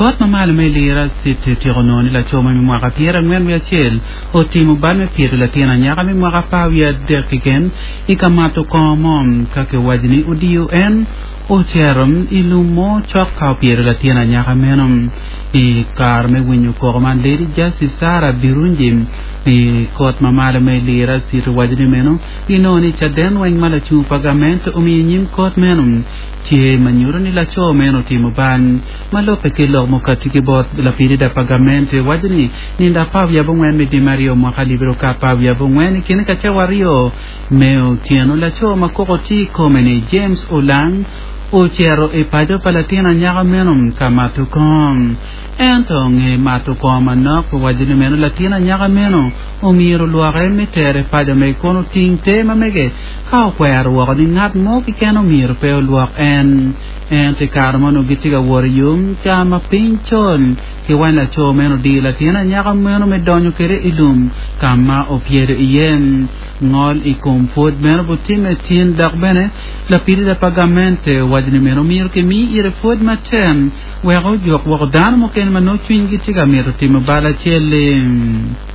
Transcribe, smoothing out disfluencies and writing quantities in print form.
Kot ma malo me Lira City otyeko nongo ni laco mo me mwaka 41 otimo bal me pyedo latin anyaka me mwaka 13 keken i ka mato kongo mo ka kiwaco ni odiyo en ocito i lum mo cok ka opyedo latin anyaka meno. I kare me winyo koko man, Lady Justice Sarah Birungi i kot ma malo me Lira City owaco ni meno ginongo ni caden weng ma lacung pa gamente omiyo i nyim kot meno tye ma nyuto ni laco meno otimo bal. Ma lubbe ki lok mukati ki bot lapilida pa gamente waco ni nindo 14 me dwe me aryo mwaka alip aryo ki 14 i kine ka cawa aryo me otyeno laco ma koko tye i kome ni James Olang ocito i paco pa latin anyaka meno ka mato kongo. Ento nge mato kongo manok owaco ni meno latin anyaka meno omyero olwoke me tere paco mege kun oting te ma mege ka okwero woko ni ngat mo keken omyero pe olwok en. Ento i kare ma onongo gitye ka wot i yo ca ma piny col, ki wany laco meno odiyo latin anyaka meno me donyo kwede i lum ka ma opyedo iye. Ngol i kom pwod meno butimme tin dok bene lapilida pa gamente owaco ni meno myero kimi ire pwod matek wek ojuk woko dano mukene ma nongo cwinygi tye ka mito timo bal acel-li.